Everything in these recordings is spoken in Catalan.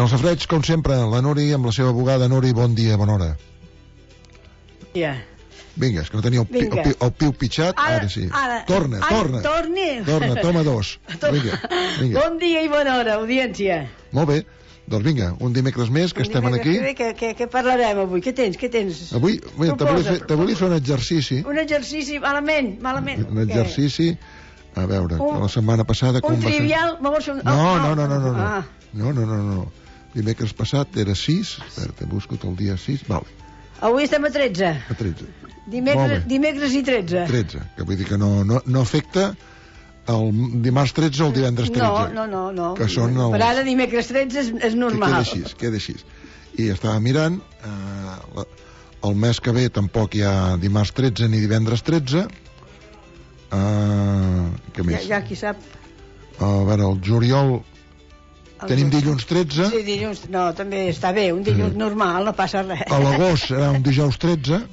el safreig, com sempre, la Nuri amb la seva bugada. Nuri, bon dia, bona hora. Ja. Vinga, és que no tenia el piu pitjat. Ara sí. Torna. Toma dos. Vinga. Bon dia i bona hora, audiència. Molt bé. Doncs vinga, un dimecres més que estem aquí. Què parlarem avui? Què tens? Avui te volia fer un exercici. Un exercici, malament. Un exercici, a veure, la setmana passada... Un trivial? No. Dimecres passat era 6, espera, busco el dia 6, vale. Avui estem a 13. A 13. Dimecres i 13. 13, que vull dir que no afecta el dimarts 13 o el divendres 13. No. Que són per ara dimecres 13 és normal. Queda així. I estava mirant, el mes que ve tampoc hi ha dimarts 13 ni divendres 13. Què més? Ja qui sap. A veure, el juliol tenim dilluns 13. Sí, dilluns, no, també està bé, un dilluns normal, no passa res. A l'agost serà un dijous 13.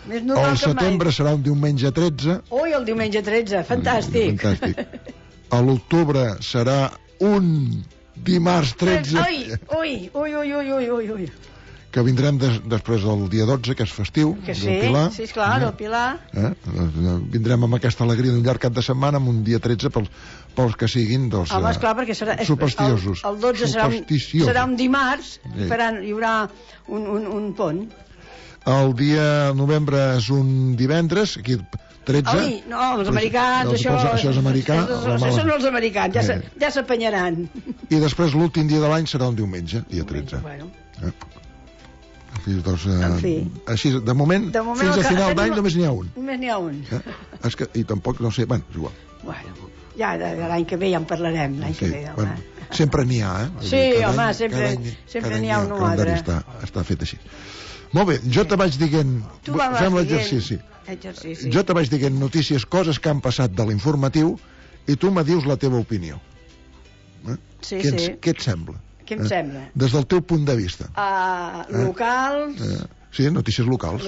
Més normal que mai. El setembre serà un diumenge 13. Ui, el diumenge 13, fantàstic. A l'octubre serà un dimarts 13. Ui. Que vindrem després del dia 12, que és festiu, del Pilar. Sí, esclar, el Pilar. Vindrem amb aquesta alegria d'un llarg cap de setmana, amb un dia 13 pels que siguin esclar, perquè supersticiosos. El 12 serà un dimarts, hi haurà un pont. El dia novembre és un divendres, aquí 13. No, els americans, això és americà. Això són els americans, ja s'apanyaran. I després l'últim dia de l'any serà un diumenge, dia 13. En fi. Així, de moment fins a final d'any només n'hi ha un. Només n'hi ha un. I tampoc, no sé, és igual. Ja l'any que ve ja en parlarem, l'any que ve. Sempre n'hi ha, Sí, home, sempre n'hi ha un o altre. Està fet així. Molt bé, jo te vaig dient... Fem l'exercici. Jo te vaig dient notícies, coses que han passat de l'informatiu, i tu me dius la teva opinió. Què et sembla? Què em sembla? Des del teu punt de vista. Locals... Sí, notícies locals.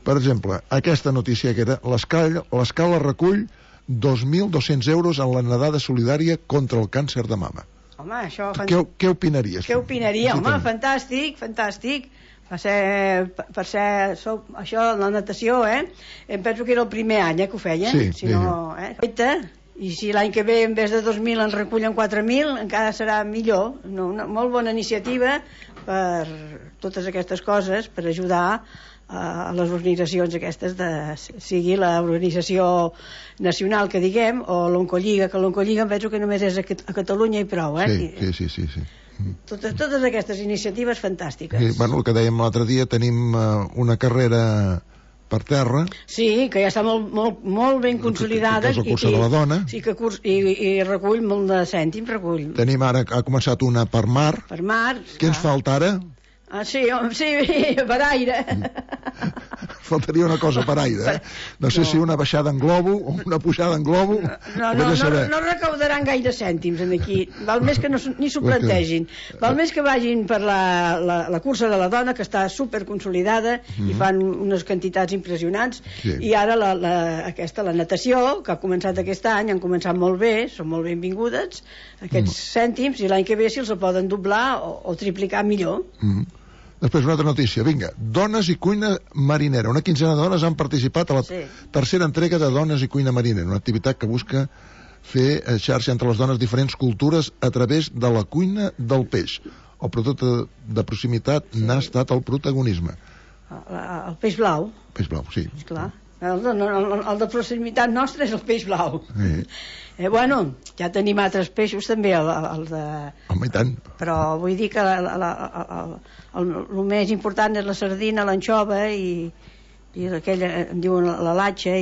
Per exemple, aquesta notícia que era l'Escala recull 2.200 euros en la nedada solidària contra el càncer de mama. Home, això... Què opinaries? Què opinaria? Home, fantàstic. Per ser això, la natació, em penso que era el primer any que ho feien. Sí. I si l'any que ve en vez de 2.000 en recullen 4.000, encara serà millor. Una molt bona iniciativa per totes aquestes coses, per ajudar a les organitzacions aquestes, sigui l'organització nacional que diguem, o l'Oncolliga, que l'Oncolliga em penso que només és a Catalunya i prou. Sí. Totes aquestes iniciatives fantàstiques. El que dèiem l'altre dia, tenim una carrera per terra. Sí, que ja està molt ben consolidada. Que és el cursa de la dona. Sí, i recull molt de cèntims, Tenim ara, ha començat una per mar. Per mar. Què ens falta ara? Sí, per aire. Faltaria una cosa per aire, No sé si una baixada en globo o una pujada en globo. No recaudaran gaire cèntims aquí. Val més que ni s'ho plantegin. Val més que vagin per la cursa de la dona, que està superconsolidada i fan unes quantitats impressionants. I ara la natació, que ha començat aquest any, han començat molt bé, són molt benvingudes aquests cèntims, i l'any que ve si els poden doblar o triplicar millor. Després una altra notícia, vinga, dones i cuina marinera. Una quinzena de dones han participat a la tercera entrega de Dones i cuina marinera, una activitat que busca fer xarxa entre les dones diferents cultures a través de la cuina del peix. El producte de proximitat n'ha estat el protagonisme. El peix blau. Peix blau, sí. Esclar. El de proximitat nostre és el peix blau. Ja tenim altres peixos també, home, i tant. Però vull dir que el més important és la sardina, l'anxova i aquella, em diuen la latxa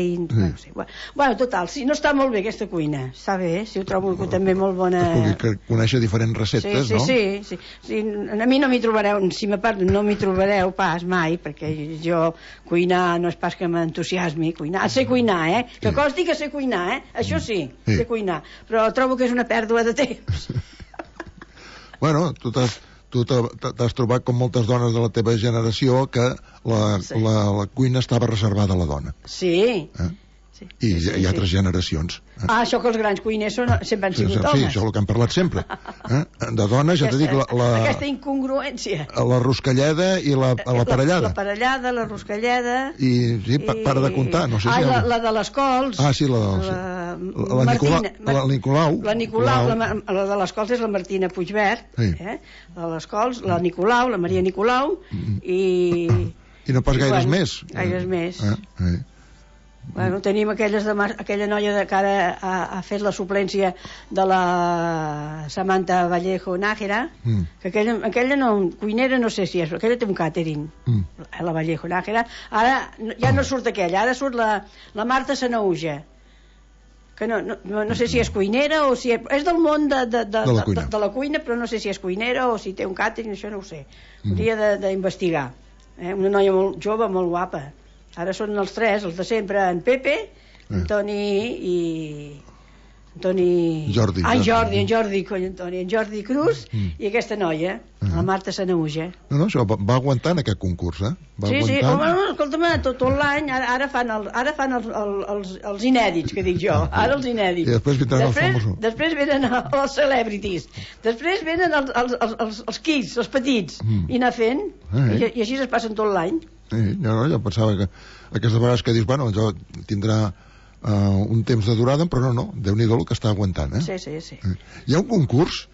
total, si no està molt bé aquesta cuina, està bé, si ho trobo també molt bona. Que conèixer diferents receptes, no? Sí, a mi no m'hi trobareu, no m'hi trobareu pas mai, perquè jo cuinar no és pas que m'entusiasmi, sé cuinar, que costi que sé cuinar, això sí, sé cuinar, però trobo que és una pèrdua de temps. Tu t'has trobat com moltes dones de la teva generació que la cuina estava reservada a la dona. Sí, I hi ha altres generacions. Això que els grans cuiners sempre han sigut homes. Sí, això és el que hem parlat sempre. De dones, ja t'he dit... Aquesta incongruència. La roscalleda i la parellada. La parellada, la roscalleda... I sí, para de comptar, no sé si... la de les cols. Ah, sí, la Nicolau. La Nicolau, la de les cols és la Martina Puigvert, la de les cols, la Nicolau, la Maria Nicolau, i no pas gaires més. Gaires més. Bueno, tenim aquella noia que ara ha fet la suplència de la Samantha Vallejo Nájera, que aquella no, cuinera no sé si és, aquella té un càtering, la Vallejo Nájera. Ara ja no surt aquella, ara surt la Marta Sanauja, que no sé si és cuinera o si és del món de la cuina, però no sé si és cuinera o si té un càtering, això no ho sé. Hauria d'investigar. Una noia molt jove, molt guapa. Ara són els tres, els de sempre, en Pepe, en Toni i... Jordi. En Jordi Cruz i aquesta noia, la Marta Sanauja. No, això va aguantar en aquest concurs, Sí, home, escolta'm, tot l'any, ara fan els inèdits, que dic jo, ara els inèdits. I després vindran els famosos. Després venen els celebrities, després venen els kids, els petits, i anar fent, i així es passen tot l'any. Jo pensava que aquestes vegades que dius, bueno, jo tindrà un temps de durada, però no, Déu-n'hi-do el que està aguantant, Sí. Hi ha un concurs,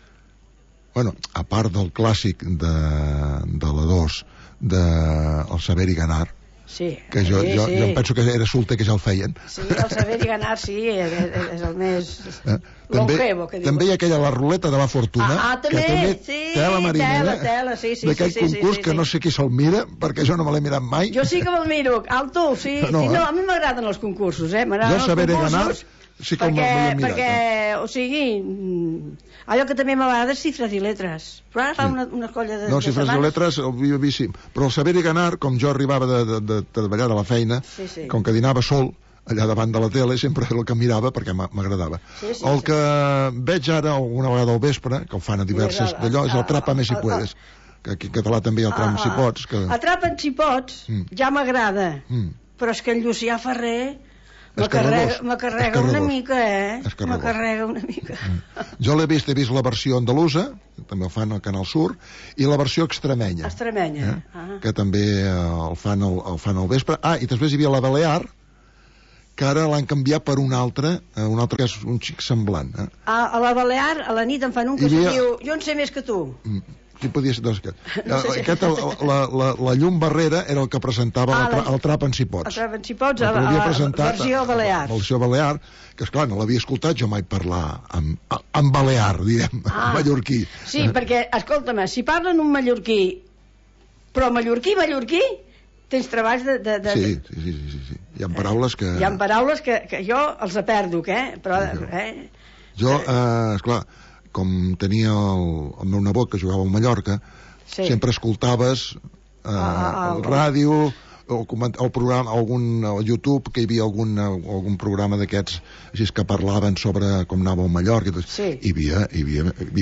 bueno, a part del clàssic de la 2, del Saber i Ganar, que jo em penso que era solter que ja el feien. Sí, el Saber i Ganar, sí, és el més longevo, que diu. També hi ha aquella, la ruleta de la fortuna, que també, tela marinera, sí. d'aquell concurs que no sé qui se'l mira, perquè jo no me l'he mirat mai. Jo sí que me'l miro, alto, sí. A mi m'agraden els concursos, Jo Saber i Ganar sí que m'he mirat. Perquè, o sigui, allò que també m'agrada és Cifres i Letres. Però ara fa una colla de... No, Cifres i Letres ho havia vist, sí. Però el Saber i Ganar, com jo arribava de treballar de la feina, com que dinava sol allà davant de la tele, sempre era el que mirava perquè m'agradava. El que veig ara alguna vegada al vespre, que el fan a diverses d'allò, és Atrapa'm si puedes, que aquí en català també hi ha Atrapa'm si pots. Atrapa'm si pots ja m'agrada, però és que en Llucià Ferrer m'acarrega una mica, m'acarrega una mica. Jo he vist la versió andalusa, també el fan al Canal Sur, i la versió extremenya, que també el fan al vespre. I després hi havia la Balear, que ara l'han canviat per un altre que és un xic semblant. A la Balear, a la nit en fan un que se diu Jo en sé més que tu. Sí, podia ser la llum barrera era el que presentava el Atrapa'm si pots. Atrapa'm si pots, la versió Balear. La versió Balear, que esclar, no l'havia escoltat jo mai parlar en balear, diguem, mallorquí. Sí, perquè, escolta'm, si parlen un mallorquí, però mallorquí, tens treballs de... Sí. Hi ha paraules que... Hi ha paraules que jo els perdo, però... Jo, esclar, com tenia el meu nebot que jugava a Mallorca, sempre escoltaves el ràdio, el programa, al YouTube, que hi havia algun programa d'aquests així que parlaven sobre com anava a Mallorca. Hi havia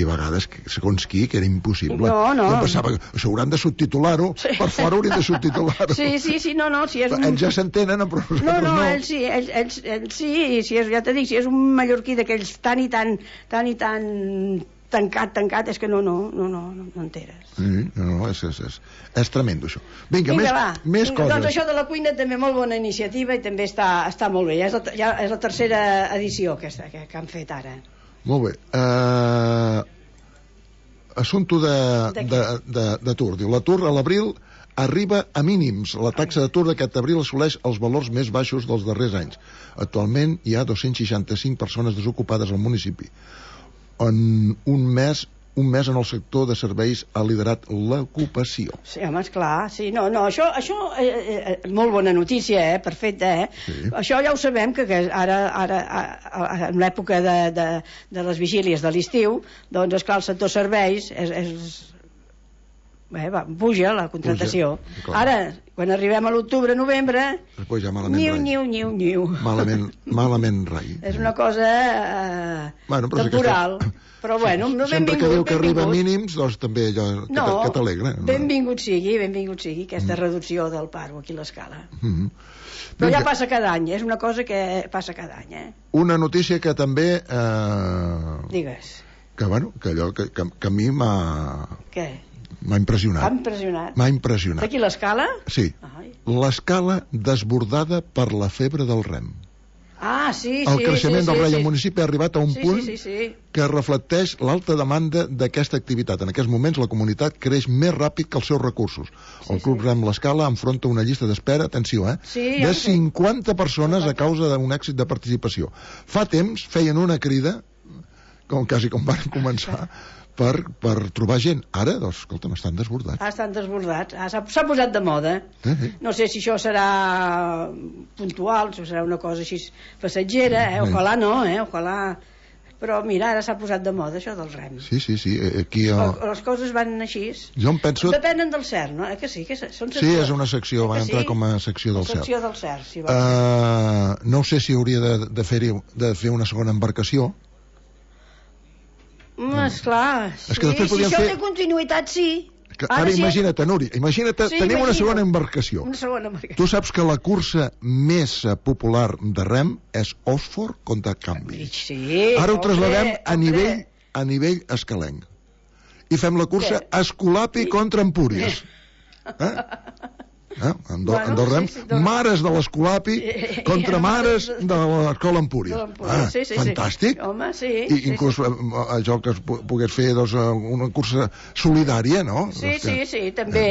vegades, segons qui, que era impossible. No. Jo pensava que això hauran de subtitular-ho, per fora haurien de subtitular-ho. Sí, no, si és un... Ells ja s'entenen, però nosaltres no. Ells sí, ja t'he dit, si és un mallorquí d'aquells tan i tan tancat, és que no enteres. No, és tremendo, això. Vinga, més coses. Doncs això de la cuina també molt bona iniciativa i també està molt bé. Ja és la tercera edició que han fet ara. Molt bé. Assumpte d'atur. Diu, l'atur a l'abril arriba a mínims. La taxa d'atur d'aquest abril assoleix els valors més baixos dels darrers anys. Actualment hi ha 265 persones desocupades al municipi. En un mes en el sector de serveis ha liderat l'ocupació. Sí, home, esclar, sí. No, això molt bona notícia, perfecte, Sí. Això ja ho sabem, que ara en l'època de les vigílies de l'estiu, doncs, esclar, el sector serveis és puja la contractació. Ara, quan arribem a l'octubre, novembre, ja niu. Malament rai. És una cosa temporal. Però bueno, sempre que diu que arriba a mínims, doncs també allò que t'alegra. Benvingut sigui aquesta reducció del paro aquí a l'Escala. Però ja passa cada any, és una cosa que passa cada any. Una notícia que també... Digues. Que a mi m'ha... Què? M'ha impressionat. M'ha impressionat. D'aquí l'Escala? Sí. L'Escala desbordada per la febre del rem. Sí. El creixement del rei al municipi ha arribat a un punt que reflecteix l'alta demanda d'aquesta activitat. En aquests moments la comunitat creix més ràpid que els seus recursos. El Club Rem l'Escala enfronta una llista d'espera, atenció, de 50 persones a causa d'un èxit de participació. Fa temps feien una crida, quasi com van començar, per trobar gent. Ara, doncs, escolta'm, estan desbordats. Estan desbordats. S'ha posat de moda. No sé si això serà puntual, si serà una cosa així passatgera, ojalà no, ojalà... Però mira, ara s'ha posat de moda això del rem. Sí. Aquí les coses van així. Jo em penso... Depenen del CERN, no? Que sí? Són sí, és una secció, van entrar com a secció del CERN. Secció del CERN, sí. No sé si hauria de fer una segona embarcació. Esclar, sí. Si això té continuïtat, sí. Ara imagina't, Núria, tenim una segona embarcació. Tu saps que la cursa més popular de rem és Oxford contra Cambridge. Ara ho trasladem a nivell escalenc. I fem la cursa Escolapi contra Empúries. Andorrem, mares de l'Escolapi contra mares de l'Escola Empúries. Fantàstic. I inclús això que es pogués fer una cursa solidària, no? Sí, també.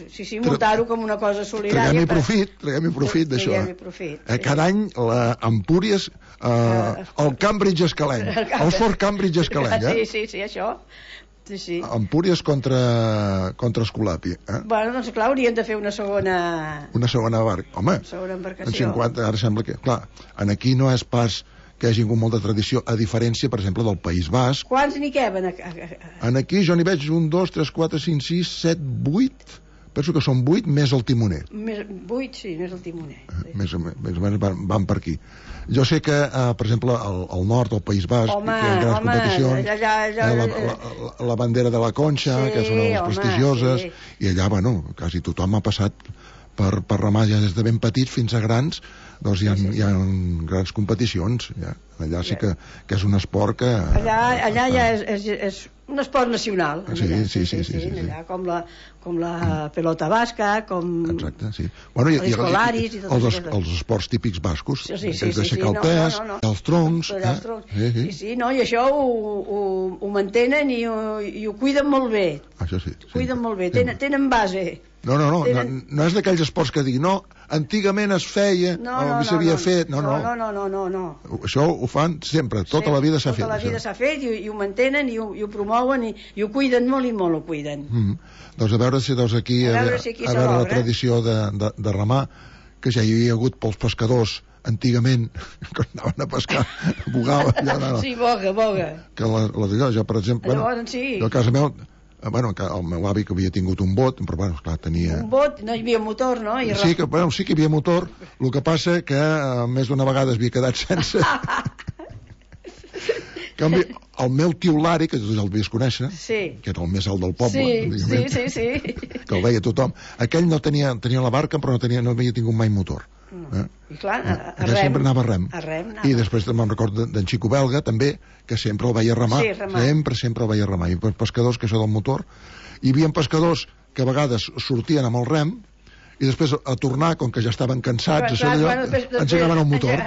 Sí, muntar-ho com una cosa solidària. Traguem-hi profit d'això. Cada any Empúries, el Cambridge escalenc, el Fort Cambridge escalenc. Sí, això. Sí. Empúries contra Escolapi. Doncs clar, haurien de fer una segona barca. Home, en 50, ara sembla que... Clar, aquí no és pas que hi hagi molt de tradició, a diferència, per exemple, del País Basc. Quants n'hi queben? Aquí jo n'hi veig 1, 2, 3, 4, 5, 6, 7, 8... Penso que són 8 més el timoner. 8, sí, més el timoner. Més o menys van per aquí. Jo sé que, per exemple, al nord, al País Basc, que hi ha grans competicions, la bandera de la Conxa, que és una de les prestigioses, i allà, quasi tothom ha passat per remar ja des de ben petits fins a grans, doncs hi ha grans competicions. Allà sí que és un esport que... Allà ja és un esport nacional. Sí. Allà, com la pelota basca, com els escolaris i tot això. Els esports típics bascos, des d'aixecar el pes, els troncs... I això ho mantenen i ho cuiden molt bé. Això sí. Cuiden molt bé, tenen base. No és d'aquells esports que diguin, antigament es feia, o s'havia fet, no. Això ho fan sempre, tota la vida s'ha fet. Tota la vida s'ha fet i ho mantenen i ho promouen i ho cuiden molt i molt ho cuiden. Doncs a veure si aquí a veure la tradició de remar, que ja hi havia hagut pels pescadors antigament, quan anaven a pescar, bogaven. Sí, boga. Que jo, per exemple, a casa meu, el meu avi que havia tingut un bot, però esclar, tenia... Un bot? No hi havia motor, no? Sí que hi havia motor, el que passa que més d'una vegada es havia quedat sense. En canvi, el meu tio Lari, que tu ja el devies conèixer, que era el més alt del poble, sí. Que el veia tothom, aquell no tenia la barca, però no havia tingut mai motor. I clar, sempre anava a rem. I després me'n recordo d'en Xico Belga també, que sempre el veia remar, sempre el veia remar. I pescadors, que això del motor, hi havia pescadors que a vegades sortien amb el rem i després a tornar, com que ja estaven cansats, engegaven el motor.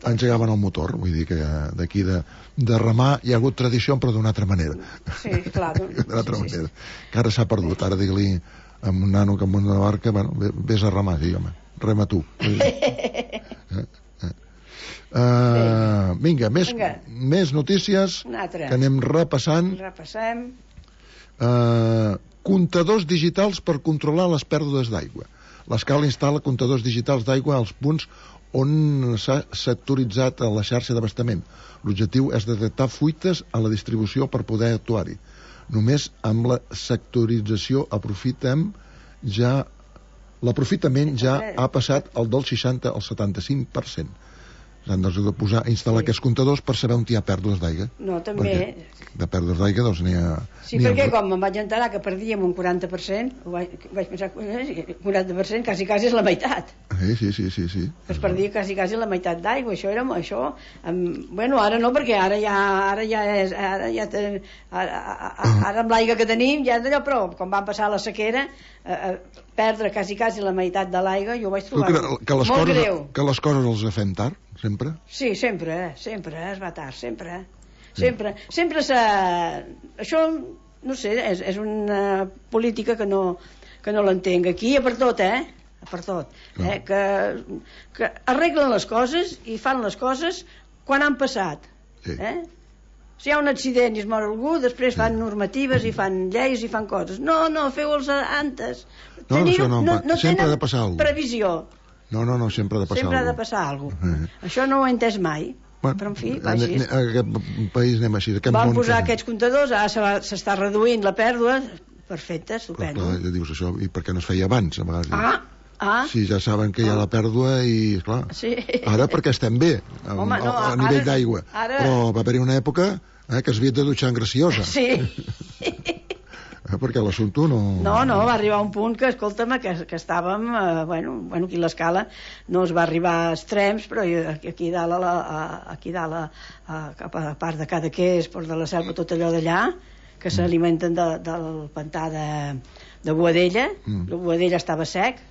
Engegaven el motor, vull dir que d'aquí de remar hi ha hagut tradició, però d'una altra manera. Sí, clar. D'una altra manera. Que ara s'ha perdut. Ara dir-li a un nano que amb una barca, vés a remar, sí, home, rema tu. Vinga, més notícies que anem repassant. Comptadors digitals per controlar les pèrdues d'aigua. L'Escala instal·la comptadors digitals d'aigua als punts on s'ha sectoritzat la xarxa d'abastament. L'objectiu és detectar fuites a la distribució per poder actuar-hi. Només amb la sectorització l'aprofitament ja ha passat el del 60 al 75%. S'han de instal·lar aquests comptadors per saber on hi ha pèrdues d'aigua. No, també... De pèrdues d'aigua, doncs n'hi ha... Sí, perquè com em vaig enterar que perdíem un 40%, vaig pensar, 40% quasi és la meitat. Sí. Es perdia quasi la meitat d'aigua, això. Bueno, ara no, perquè ara amb l'aigua que tenim ja és d'allò, però quan van passar la sequera, perdre quasi la meitat de l'aigua, jo ho vaig trobar molt greu. Que les coses els fem tard, sempre? Sí, sempre es va tard, sempre. Sempre això, no sé, és una política que no l'entenc. Aquí per tot, per tot. Que arreglen les coses i fan les coses quan han passat. Si hi ha un accident i es mor algú, després fan normatives i fan lleis i fan coses. No, feu-los antes. No sempre ha de passar alguna cosa. Previsió. No, sempre ha de passar alguna cosa. Sempre ha de passar alguna cosa. Això no ho he entès mai. Però en fi, va així. En aquest país anem així. Van posar aquests comptadors, ara s'està reduint la pèrdua. Perfecte, estupendo. Clar, dius això, i per què no es feia abans, a vegades? Sí, ja saben que hi ha la pèrdua i, esclar, ara perquè estem bé a nivell d'aigua, però va haver-hi una època que es havia de dutxar en Graciosa. Sí. Perquè l'assumpte no... No, va arribar un punt que, escolta'm, que estàvem, bueno, aquí l'escala no es va arribar a extrems, però aquí dalt, cap a la part de Cadaqués, Port de la Selva, tot allò d'allà, que s'alimenten del pantà de Boadella. La Boadella estava sec,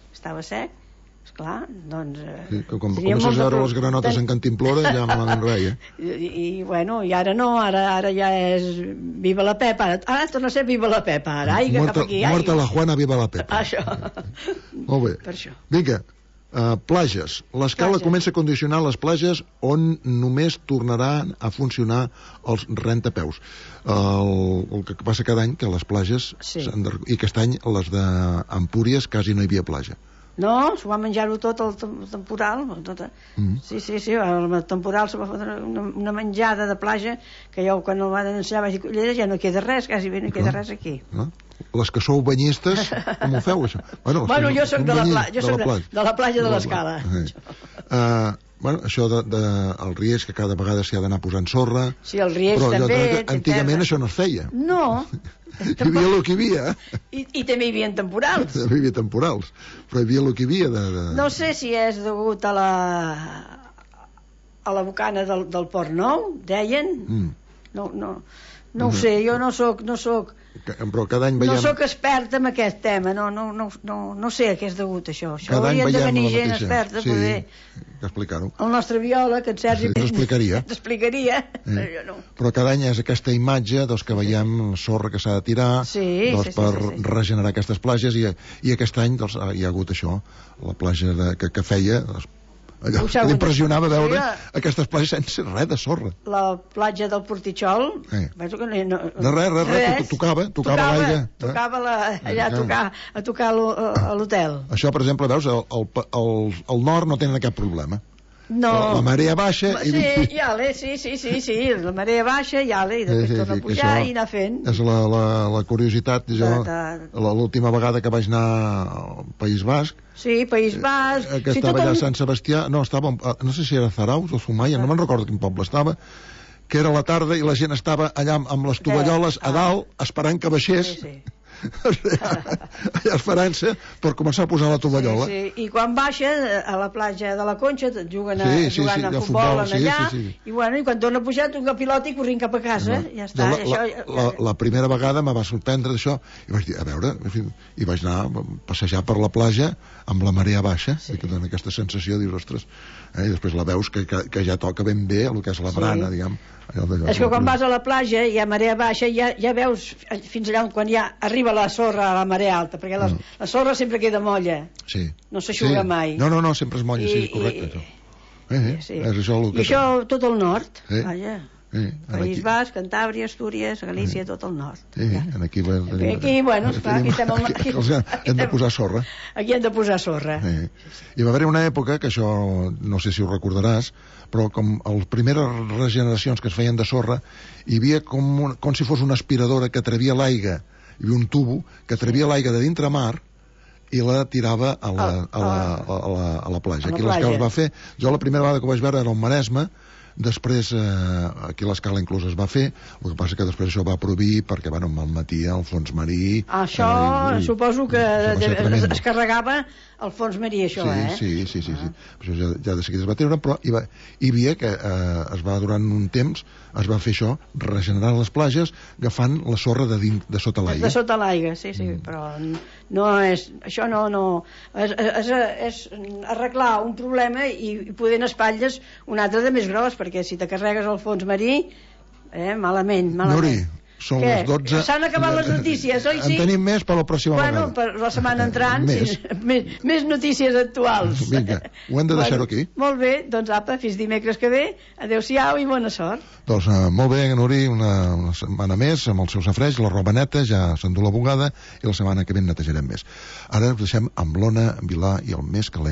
esclar, doncs... Com comences a veure les granotes en Cantimplora, ja me l'han rai, I bueno, i ara no, ara ja és Viva la Pepa, ara torna a ser Viva la Pepa, ara, cap aquí. Muerta la Juana, Viva la Pepa. Això. Molt bé. Per això. Vinga, plages. L'escala comença a condicionar les plages on només tornaran a funcionar els rentapeus. El que passa cada any que les plages, i aquest any les d'Empúries quasi no hi havia platja. No, s'ho va menjar-ho tot el temporal. Sí, el temporal se va fotre una menjada de platja que jo quan el van anunciar vaig dir, Cullera, ja no queda res, quasi bé no queda res aquí. Les que sou banyistes, com ho feu, això? Bueno, jo soc de la platja de l'Escala. Bueno, això del Riells, que cada vegada s'hi ha d'anar posant sorra. Sí, el Riells també. Però antigament això no es feia. No. Hi havia el que hi havia. I també hi havia temporals. També hi havia temporals, però hi havia el que hi havia. No sé si és degut a la bocana del Port Nou, deien. No ho sé, jo no soc però cada any veiem... No soc experta en aquest tema, no sé a què és degut això. Cada any haurien de venir gent mateixa. experta sí, poder explicar-ho. El nostre biòleg, en Sergi, t'explicaria. Però cada any és aquesta imatge que veiem sorra que s'ha de tirar per regenerar aquestes platges i aquest any hi ha hagut això, la platja que feia... Allò que l'impressionava veure aquestes platges sense res de sorra. La platja del Portitxol de res, tocava l'aigua. Tocava allà a tocar a l'hotel. Això, per exemple, veus, al nord no tenen cap problema. No. La marea baixa... Sí, la marea baixa i després torna a pujar i anar fent. És la curiositat, l'última vegada que vaig anar al País Basc. Sí, País Basc. Que estava allà a Sant Sebastià, no sé si era Zarauz o Sumaia, no me'n recordo quin poble estava, que era la tarda i la gent estava allà amb les tovalloles a dalt esperant que baixés. Allà esperant-se per començar a posar la tovallola. I quan baixa a la platja de la Conxa jugant a futbol allà i quan torna a pujar toca pilota i corrint cap a casa. Ja està. La primera vegada me va sorprendre d'això i vaig dir, a veure, i vaig anar a passejar per la platja amb la marea baixa i que dona aquesta sensació, dius, ostres, i després la veus que ja toca ben bé el que és la brana, diguem. És que quan vas a la platja i hi ha marea baixa ja veus fins allà quan ja arriba la sorra a la marea alta, perquè la sorra sempre queda molla, no s'aixuga mai. No, sempre és molla, sí, correcte. És això el que... I això tot el nord, País Basc, Cantàbria, Astúries, Galícia, tot el nord. Aquí, bueno, esclar, aquí estem... Hem de posar sorra. Aquí hem de posar sorra. Hi va haver una època, que això no sé si ho recordaràs, però com les primeres regeneracions que es feien de sorra, hi havia com si fos una aspiradora que atrevia l'aigua, hi havia un tubo que atrevia l'aigua de dintre mar i la tirava a la platja. Aquí l'escala es va fer. Jo la primera vegada que ho vaig veure era al Maresme, després aquí l'escala inclús es va fer, el que passa que després això va prohibir perquè malmetia el fons marí. Això suposo que es carregava el fons marí, això, Sí. Això ja de seguida es va treure, però hi havia que es va durant un temps, es va fer això, regenerar les platges agafant la sorra de sota l'aigua. De sota l'aigua, sí, però no és... Això no... És arreglar un problema i poder en espatlles un altre de més gros, perquè si te carregues el fons marí, malament. Nuri, són les 12. S'han acabat les notícies, oi sí? En tenim més per la pròxima vegada. Per la setmana entrant, més notícies actuals. Vinga, ho hem de deixar aquí. Molt bé, doncs apa, fins dimecres que ve. Adéu-siau i bona sort. Doncs molt bé, Nuri, una setmana més amb el seu safreix, la roba neta, ja s'endú la bugada i la setmana que ve en netejarem més. Ara ens deixem amb l'Ona Vilà i el més calent.